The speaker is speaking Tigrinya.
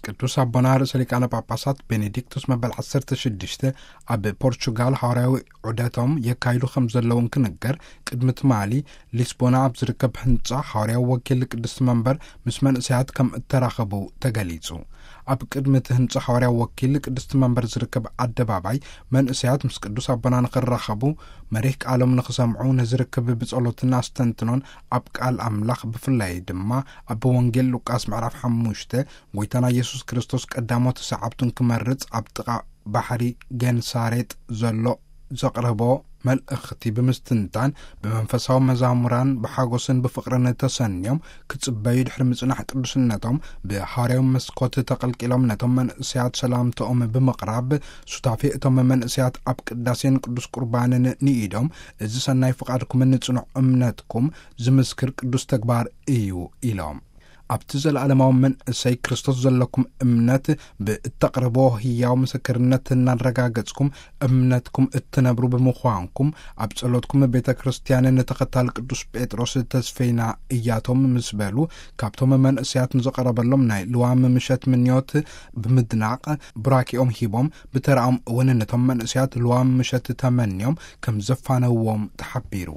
ቅዱስ ኣቦና ርእሰ ሊቃነ ጳጳሳት ቤኔዲክቱስ መበል ዓሰርተ ሽዱሽተ ኣብ ፖርቹጋል ሃዋርያዊ ዑደቶም የካይዱ ከም ዘለውን ክንገር፣ ቅድሚ ትማሊ ሊስቦና ኣብ ዝርከብ ህንጻ ሃዋርያዊ ወኪል ቅድስቲ መንበር ምስ መንእሰያት ከም እተራኸቡ ተገሊጹ። ኣብ ቅድሚ እቲ ህንጻ ሃዋርያዊ ወኪል ቅድስቲ መንበር ዝርከብ ኣደባባይ፣ መንእሰያት ምስ ቅዱስ ኣቦና ንኽራኸቡ፣ መሪህ ቃሎም ንኽሰምዑ፣ ነዚ ርክብ ብጸሎትን ኣስተንትኖን ኣብ ቃል ኣምላኽ፣ ብፍላይ ድማ ኣብ ወንጌል ሉቃስ ምዕራፍ ሓሙሽተ፣ ጎይታና ኢየሱስ ክርስቶስ ቀዳሞት ሰዓብቱን ክመርጽ ኣብ ጥቓ ባሕሪ ገንሳሬጥ ዘሎ ዘቕረቦ መልእኽቲ ብምስትንታን፣ ብመንፈሳዊ መዛሙራን ብሓጎስን ብፍቕርን ተሰንዮም ክጽበዩ ድሕሪ ምጽናሕ ቅዱስነቶም፣ ብሃዋርያዊ መስኮት ተቐልቂሎም ነቶም መንእሰያት ሰላምታኦም ብምቕራብ፣ ሱታፌ እቶም መንእሰያት ኣብ ቅዳሴን ቅዱስ ቁርባንን ንኢዶም፣ እዚ ሰናይ ፍቓድኩምን ጽኑዕ እምነትኩም ዝምስክር ቅዱስ ተግባር እዩ ኢሎም። ኣብቲ ዘለዓለማዊ መንእሰይ ክርስቶስ ዘለኩም እምነት ብእተቕርቦ ህያው ምስክርነት እናረጋገጽኩም፣ እምነትኩም እትነብሩ ብምዃንኩም፣ ኣብ ጸሎትኩም ቤተ ክርስቲያን ንተኸታል ቅዱስ ጴጥሮስ ተስፈይና እያቶም ምስ በሉ፣ ካብቶም መንእሰያት ንዝቐረበሎም ናይ ልዋም ምሸት ምንዮት ብምድናቕ፣ ቡራኬኦም ሂቦም፣ ብተራኦም እውን ነቶም መንእሰያት ልዋም ምሸት ተመንዮም ከም ዘፋነውዎም ተሓቢሩ።